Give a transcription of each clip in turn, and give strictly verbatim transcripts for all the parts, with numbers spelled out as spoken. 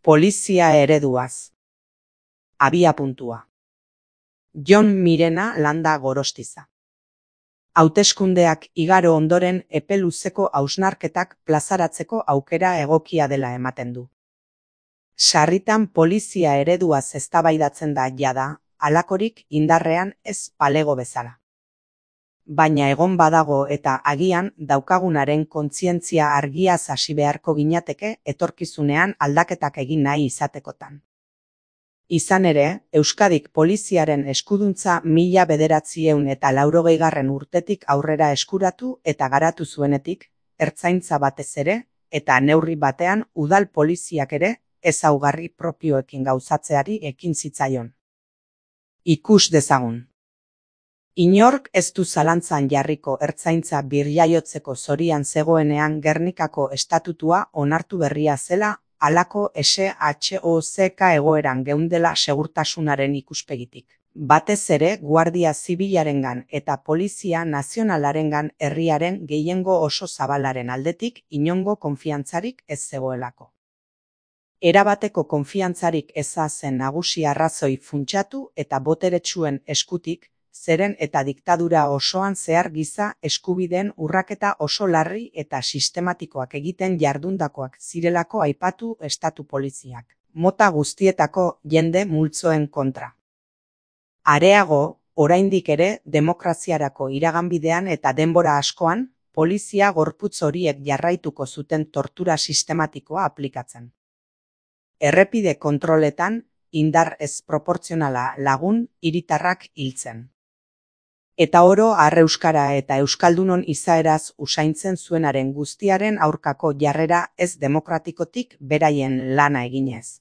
Polizia ereduaz. Abiapuntua. Jon Mirena Landa Gorostiza. Hauteskundeak igaro ondoren epe luzeko hausnarketak plazaratzeko aukera egokia dela ematen du. Sarritan polizia ereduaz eztabaidatzen da jada, halakorik indarrean ez palego bezala. Baina egon badago eta agian daukagunaren kontzientzia argiaz hasi beharko ginateke etorkizunean aldaketak egin nahi izatekotan. Izan ere, Euskadik poliziaren eskuduntza mila bederatziehun eta laurogeigarren urtetik aurrera eskuratu eta garatu zuenetik, ertzaintza batez ere, eta neurri batean udal poliziak ere, ezaugarri propioekin gauzatzeari ekin zitzaion. Ikus dezagun. Inork ez du zalantzan jarriko ertzaintza birjaiotzeko zorian zegoenean Gernikako estatutua onartu berria zela, halako S H O Z K egoeran geundela segurtasunaren ikuspegitik. Batez ere Guardia Zibilarengan eta Polizia Nazionalarengan herriaren gehiengo oso zabalaren aldetik inongo konfiantzarik ez zegoelako. Erabateko konfiantzarik eza zen nagusi arrazoi funtsatu eta boteretsuen eskutik, zeren eta diktadura osoan zehar giza eskubideen urraketa oso larri eta sistematikoak egiten jardundakoak zirelako aipatu estatu poliziak, mota guztietako jende multzoen kontra. Areago, oraindik ere demokraziarako iraganbidean eta denbora askoan, polizia gorputz horiek jarraituko zuten tortura sistematikoa aplikatzen. Errepide kontroletan, indar ez proportzionala lagun hiritarrak hiltzen. Eta oro arreuskara eta euskaldunon izaeraz usaintzen zuenaren guztiaren aurkako jarrera ez demokratikotik beraien lana eginez.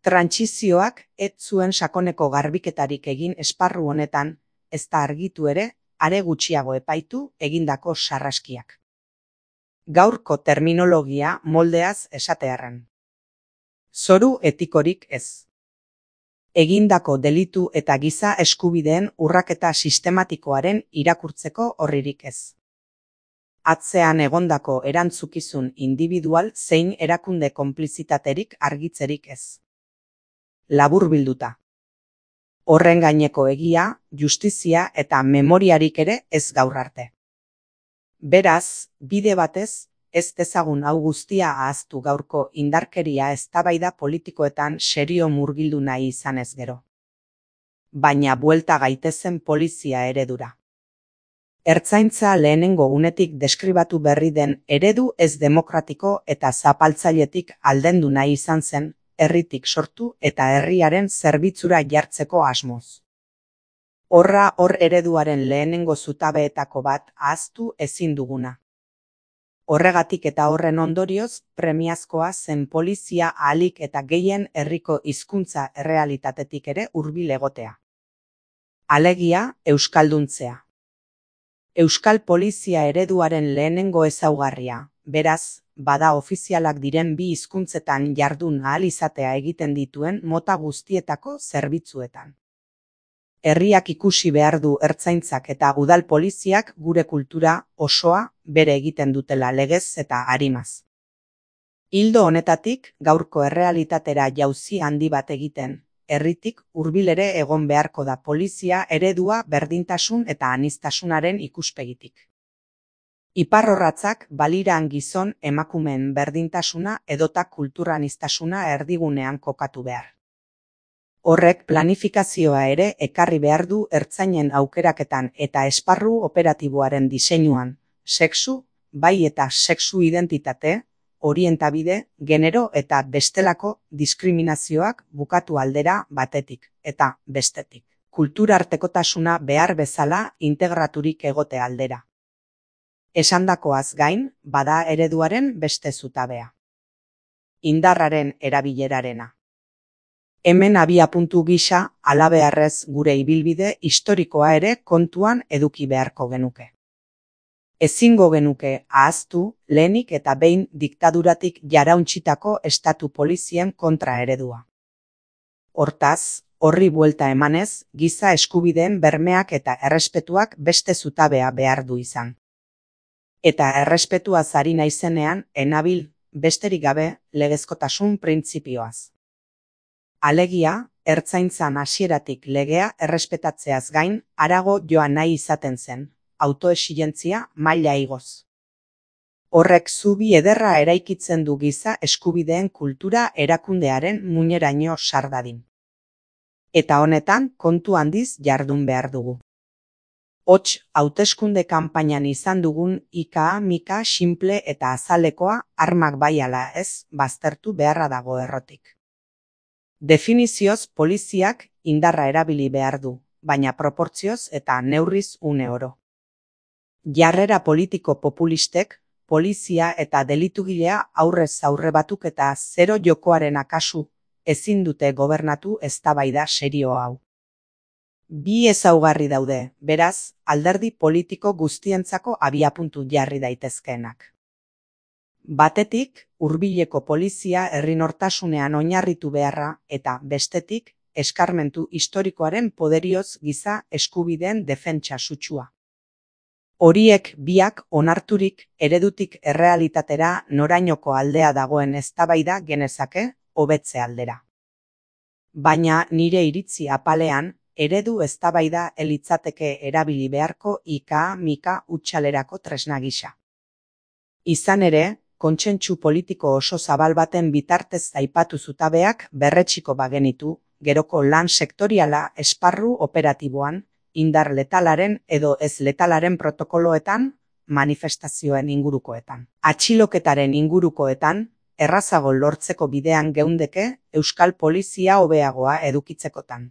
Trantsizioak ez zuen sakoneko garbiketarik egin esparru honetan, ez da argitu ere, are gutxiago epaitu egindako sarraskiak. Gaurko terminologia moldeaz esatearren. Zoru etikorik ez. Egindako delitu eta giza eskubideen urraketa sistematikoaren irakurtzeko horririk ez. Atzean egondako erantzukizun individual zein erakunde konplizitaterik argitzerik ez. Laburbilduta. Horren gaineko egia, justizia eta memoriarik ere ez gaur arte. Beraz, bide batez, ez dezagun hau guztia ahaztu gaurko indarkeria eztabaida politikoetan serio murgildu nahi izanez gero. Baina buelta gaitezen polizia eredura. Ertzaintza lehenengo unetik deskribatu berri den eredu ez demokratiko eta zapaltzailetik aldendu nahi izan zen, herritik sortu eta herriaren zerbitzura jartzeko asmoz. Horra hor ereduaren lehenengo zutabeetako bat ahaztu ezin duguna. Horregatik eta horren ondorioz, premiazkoa zen polizia ahalik eta gehien herriko hizkuntza errealitatetik ere hurbil egotea. Alegia, euskalduntzea. Euskal polizia ereduaren lehenengo ezaugarria, beraz, bada ofizialak diren bi hizkuntzetan jardun ahal izatea egiten dituen mota guztietako zerbitzuetan. Herriak ikusi behar du ertzaintzak eta udal poliziak gure kultura osoa bere egiten dutela legez eta arimaz. Ildo honetatik, gaurko errealitatera jauzi handi bat egiten, herritik hurbil ere egon beharko da polizia eredua berdintasun eta aniztasunaren ikuspegitik. Iparrorratzak baliran gizon emakumeen berdintasuna edota kulturaniztasuna erdigunean kokatu behar. Horrek planifikazioa ere ekarri behar du ertzainen aukeraketan eta esparru operatiboaren diseinuan, sexu, bai eta sexu identitate, orientabide, genero eta bestelako diskriminazioak bukatu aldera batetik eta bestetik. Kulturartekotasuna behar bezala integraturik egote aldera. Esandakoaz gain, bada ereduaren beste zutabea. Indarraren erabilerarena. Hemen abiapuntu gisa, halabeharrez gure ibilbide historikoa ere kontuan eduki beharko genuke. Ezingo genuke ahaztu, lehenik eta behin diktaduratik jarauntzitako estatu polizien kontra eredua. Hortaz, horri buelta emanez, giza eskubideen bermeak eta errespetuak beste zutabea behar du izan. Eta errespetuaz ari naizenean, enabil besterik gabe legezkotasun printzipioaz. Alegia, ertzaintzan hasieratik legea errespetatzeaz gain, harago joan nahi izaten zen, autoexigentzia maila igoz. Horrek zubi ederra eraikitzen du giza eskubideen kultura erakundearen muineraino sar dadin. Eta honetan kontu handiz jardun behar dugu. Hots, hauteskunde kanpainan izan dugun ika-mika sinple eta azalekoa armak bai ala ez baztertu beharra dago errotik. Definizioz poliziak indarra erabili behar du, baina proportzioz eta neurriz une oro. Jarrera politiko populistek, polizia eta delitugilea aurrez aurre batuk eta zero jokoaren akasu ezin dute gobernatu eztabaida serio hau. Bi ezaugarri daude, beraz, alderdi politiko guztientzako abiapuntu jarri daitezkeenak. Batetik, hurbileko polizia herri nortasunean oinarritu beharra eta bestetik, eskarmentu historikoaren poderioz giza eskubideen defentsa sutsua. Horiek biak onarturik eredutik errealitatera norainoko aldea dagoen eztabaida genezake hobetze aldera. Baina nire iritzi apalean, eredu eztabaida elitzateke erabili beharko ika-mika hutsalerako tresna gisa. Izan ere, kontsentsu politiko oso zabal baten bitartez aipatu zutabeak berretsiko bagenitu, geroko lan sektoriala esparru operatiboan, indar letalaren edo ez letalaren protokoloetan, manifestazioen ingurukoetan. Atxiloketaren ingurukoetan, errazago lortzeko bidean geundeke Euskal Polizia hobeagoa edukitzekotan.